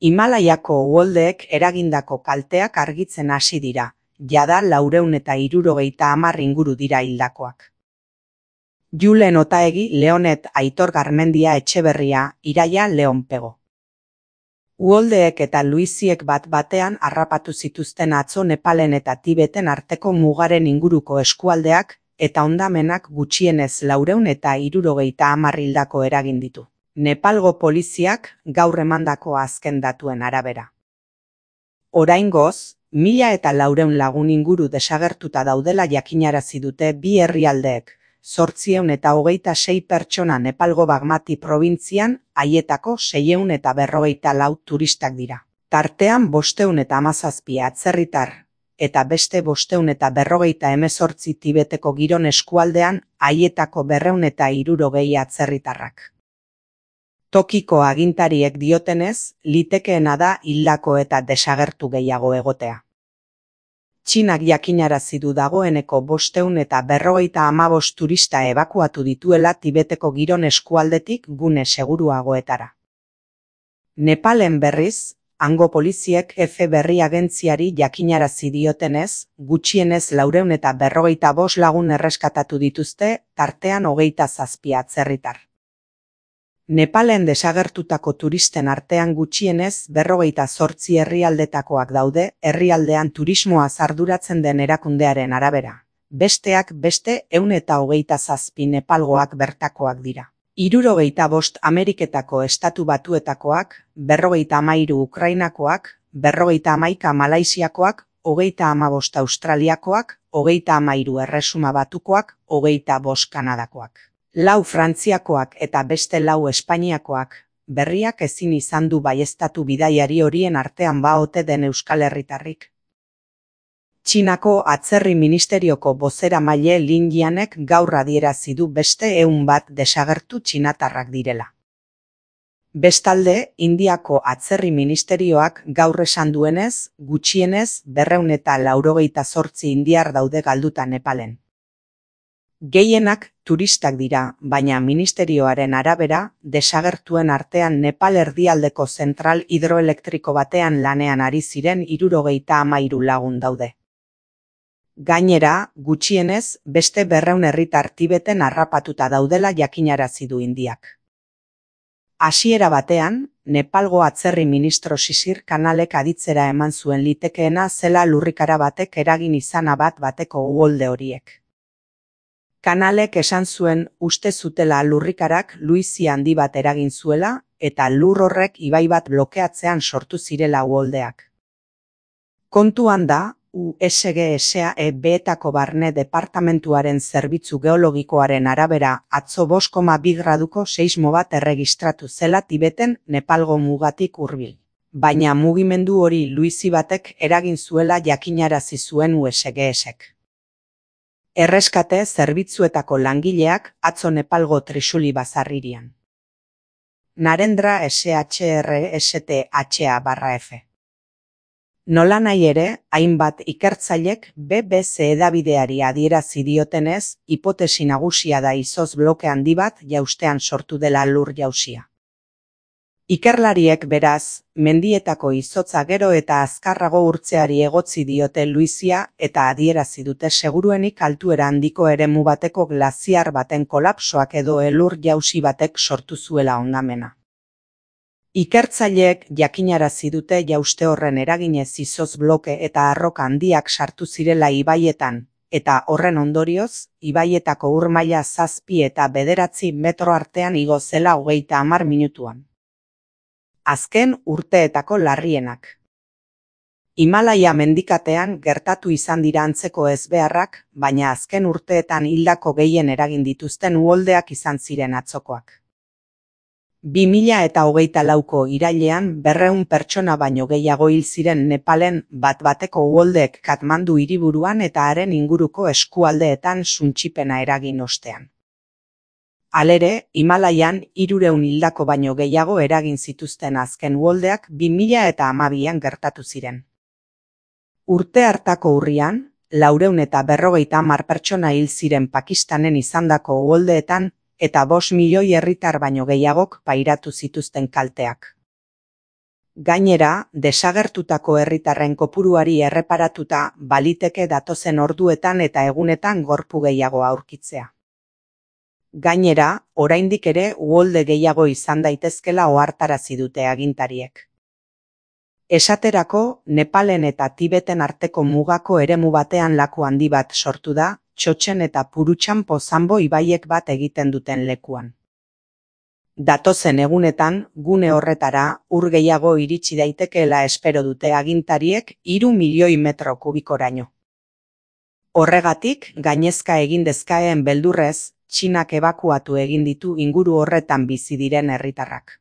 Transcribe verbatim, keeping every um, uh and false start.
Himalaiako uholdeek eragindako kalteak argitzen hasi dira, jada laurehun eta hirurogeita hamar inguru dira hildakoak. Julen Otaegi, Leonet Aitor Garmendia Etxeberria, Iraia Leonpego. Uholdeek eta luiziek bat batean harrapatu zituzten atzo Nepalen eta Tibeten arteko mugaren inguruko eskualdeak eta hondamenak gutxienez laurehun eta hirurogeita hamar hildako eragin ditu. Nepalgo poliziak gaur emandako azken datuen arabera. Oraingoz, mila eta laurehun lagun inguru desagertuta daudela jakinarazi dute bi herrialdeek, zortziehun eta hogeita sei pertsona Nepalgo Bagmati probintzian, haietako seiehun eta berrogeita lau turistak dira. Tartean bostehun eta hamazazpi atzerritar, eta beste bostehun eta berrogeita hemezortzi Tibeteko giron eskualdean, haietako berrehun eta hirurogei atzerritarrak. Tokiko agintariek diotenez, litekeena da hildako eta desagertu gehiago egotea. Txinak jakinarazi du dagoeneko bostehun eta berrogeita hamabost turista ebakuatu dituela Tibeteko giron eskualdetik gune seguruagoetara. Nepalen berriz, hango poliziek F berri agentziari jakinarazi diotenez, gutxienez laurehun eta berrogeita bost lagun erreskatatu dituzte, tartean hogeita zazpi atzerritar. Nepalen desagertutako turisten artean gutxienez berrogeita zortzi herrialdetakoak daude, herrialdean turismoaz arduratzen den erakundearen arabera. Besteak beste ehun eta hogeita zazpi Nepalgoak bertakoak dira. Hirurogeita bost Ameriketako Estatu Batuetakoak, berrogeita hamairu Ukrainakoak, berrogeita hamaika Malaisiakoak, hogeita hamabost Australiakoak, hogeita hamairu Erresuma Batukoak, hogeita bost Kanadakoak. Lau Frantziakoak eta beste lau Espainiakoak, berriak ezin izan du baieztatu bidaiari horien artean ba ote den euskal herritarrik. Txinako atzerri ministerioko bozeramaile Lin Jianek gaur adierazi du beste ehun bat desagertu txinatarrak direla. Bestalde, Indiako atzerri ministerioak gaur esan duenez, gutxienez berrehun eta laurogeita zortzi indiar daude galduta Nepalen. Gehienak turistak dira, baina ministerioaren arabera, desagertuen artean Nepal erdialdeko zentral hidroelektriko batean lanean ari ziren hirurogeita hamairu lagun daude. Gainera, gutxienez, beste berrehun herritar Tibeten harrapatuta daudela jakinarazi du Indiak. Hasiera batean, Nepalgo atzerri ministro Sisir Kanalek aditzera eman zuen litekeena zela lurrikara batek eragin izana bat bateko uholde horiek. Kanalek esan zuen uste zutela lurrikarak luizi handi bat eragin zuela eta lur horrek ibai bat blokeatzean sortu zirela uholdeak. Kontuan da, U S G S A E B-etako barne departamentuaren zerbitzu geologikoaren arabera atzo bost koma bi graduko seismo bat erregistratu zela Tibeten Nepalgo mugatik hurbil. Baina mugimendu hori luizi batek eragin zuela jakinarazi zuen U S G S-ek. Erreskate zerbitzuetako langileak atzo Nepalgo Trishuli bazarririan. Narendra S H R S T H A barra F. Nolanahi ere, hainbat ikertzailek B B C edabideari adierazi diotenez, hipotesi nagusia da izoz bloke handi bat jaustean sortu dela lur jausia. Ikerlariek beraz, mendietako izotza gero eta azkarrago urtzeari egotzi diote luizia eta adierazi dute seguruenik altuera handiko eremu bateko glaziar baten kolapsoak edo elur jausi batek sortu zuela hondamena. Ikertzaileek jakinarazi dute jauste horren eraginez izoz bloke eta arroka handiak sartu zirela ibaietan, eta horren ondorioz, ibaietako ur maila zazpi eta bederatzi metro artean igo zela hogeita hamar minutuan. Azken urteetako larrienak. Himalaia mendikatean gertatu izan dira antzeko ezbeharrak, baina azken urteetan hildako gehien eragin dituzten uholdeak izan ziren atzokoak. bi mila eta hogeita lauko irailean berrehun pertsona baino gehiago hil ziren Nepalen bat bateko uholdeek Katmandu hiriburuan eta haren inguruko eskualdeetan suntsipena eragin ostean. Halere, Himalaian hirurehun hildako baino gehiago eragin zituzten azken uholdeak bi mila eta hamabian gertatu ziren. Urte hartako urrian, laurehun eta berrogeita hamar pertsona hil ziren Pakistanen izandako uholdeetan eta bost milioi herritar baino gehiagok pairatu zituzten kalteak. Gainera, desagertutako herritarren kopuruari erreparatuta baliteke datozen orduetan eta egunetan gorpu gehiago aurkitzea. Gainera, oraindik ere uholde gehiago izan daitezkela ohartarazi dute agintariek. Esaterako, Nepalen eta Tibeten arteko mugako eremu batean laku handi bat sortu da, Txotxen eta Purutxan Pozambo ibaiek bat egiten duten lekuan. Datozen egunetan, gune horretara, ur gehiago iritsi daitekeela espero dute agintariek hiru milioi metro kubikoraino. Horregatik, gainezka egin dezakeen beldurrez, Txinak ebakuatu egin ditu inguru horretan bizi diren herritarrak.